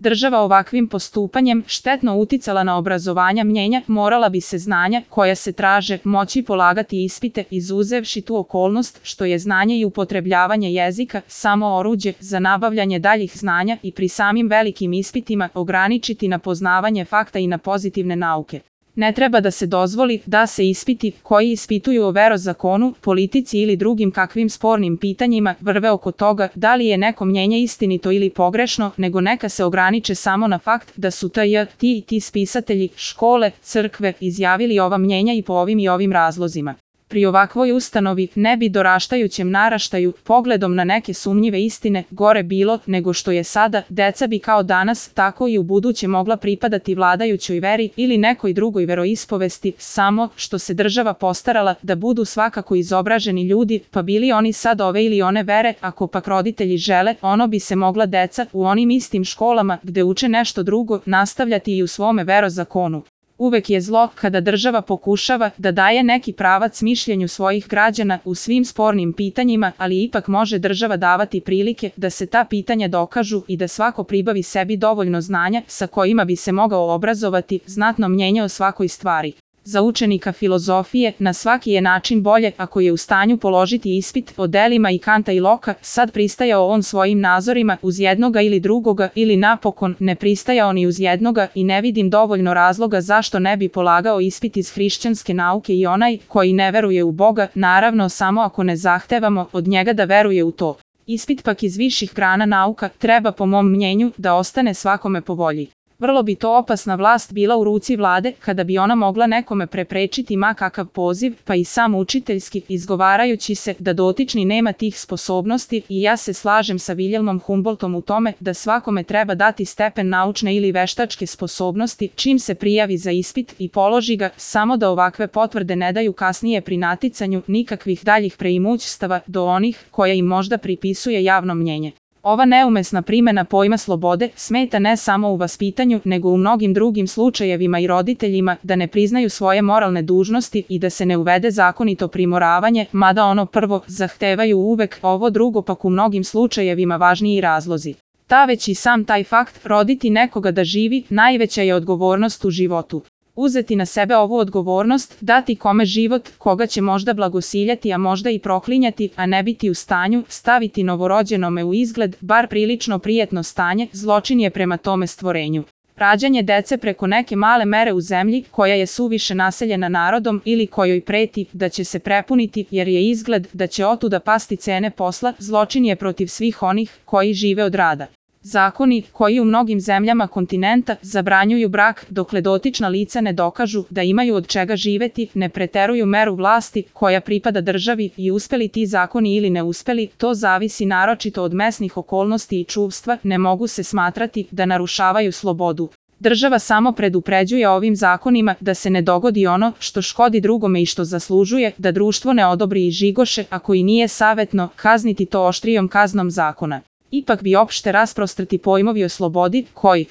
Država ovakvim postupanjem štetno uticala na obrazovanja mnjenja, morala bi se znanja koja se traže moći polagati ispite, izuzevši tu okolnost što je znanje i upotrebljavanje jezika samo oruđe za nabavljanje daljih znanja i pri samim velikim ispitima ograničiti na poznavanje fakta i na pozitivne nauke. Ne treba da se dozvoli da se ispiti koji ispituju o verozakonu, politici ili drugim kakvim spornim pitanjima vrve oko toga da li je neko mnjenje istinito ili pogrešno, nego neka se ograniče samo na fakt da su ti i ti spisatelji, škole, crkve izjavili ova mnjenja i po ovim i ovim razlozima. Pri ovakvoj ustanovi ne bi doraštajućem naraštaju, pogledom na neke sumnjive istine, gore bilo nego što je sada, deca bi kao danas, tako i u buduće mogla pripadati vladajućoj veri ili nekoj drugoj veroispovesti, samo što se država postarala da budu svakako izobraženi ljudi, pa bili oni sad ove ili one vere, ako pak roditelji žele, ono bi se mogla deca u onim istim školama gde uče nešto drugo nastavljati i u svome verozakonu. Uvek je zlo kada država pokušava da daje neki pravac mišljenju svojih građana u svim spornim pitanjima, ali ipak može država davati prilike da se ta pitanja dokažu i da svako pribavi sebi dovoljno znanja sa kojima bi se mogao obrazovati, znatno mnjenje o svakoj stvari. Za učenika filozofije na svaki je način bolje ako je u stanju položiti ispit o delima i Kanta i Loka, sad pristajao on svojim nazorima uz jednoga ili drugoga ili napokon ne pristajao ni uz jednoga i ne vidim dovoljno razloga zašto ne bi polagao ispit iz hrišćanske nauke i onaj koji ne veruje u Boga, naravno samo ako ne zahtevamo od njega da veruje u to. Ispit pak iz viših grana nauka treba po mom mnjenju da ostane svakome po volji. Vrlo bi to opasna vlast bila u ruci vlade kada bi ona mogla nekome preprečiti ma kakav poziv, pa i sam učiteljski, izgovarajući se da dotični nema tih sposobnosti i ja se slažem sa Viljelmom Humboldtom u tome da svakome treba dati stepen naučne ili veštačke sposobnosti čim se prijavi za ispit i položi ga, samo da ovakve potvrde ne daju kasnije pri naticanju nikakvih daljih preimućstava do onih koja im možda pripisuje javno mnjenje. Ova neumesna primjena pojma slobode smeta ne samo u vaspitanju, nego u mnogim drugim slučajevima i roditeljima da ne priznaju svoje moralne dužnosti i da se ne uvede zakonito primoravanje, mada ono prvo zahtevaju uvek, ovo drugo pak u mnogim slučajevima važniji razlozi. Ta već i sam taj fakt, roditi nekoga da živi, najveća je odgovornost u životu. Uzeti na sebe ovu odgovornost, dati kome život, koga će možda blagosiljati, a možda i proklinjati, a ne biti u stanju, staviti novorođenome u izgled, bar prilično prijetno stanje, zločin je prema tome stvorenju. Rađanje dece preko neke male mere u zemlji, koja je suviše naseljena narodom ili kojoj preti da će se prepuniti jer je izgled da će otuda pasti cene posla, zločin je protiv svih onih koji žive od rada. Zakoni, koji u mnogim zemljama kontinenta zabranjuju brak dokle dotična lica ne dokažu da imaju od čega živeti, ne preteruju meru vlasti koja pripada državi i uspeli ti zakoni ili ne uspeli, to zavisi naročito od mesnih okolnosti i čuvstva, ne mogu se smatrati da narušavaju slobodu. Država samo predupređuje ovim zakonima da se ne dogodi ono što škodi drugome i što zaslužuje da društvo ne odobri i žigoše, ako i nije savjetno, kazniti to oštrijom kaznom zakona. Ipak bi opšte rasprostrti pojmovi o slobodi, koji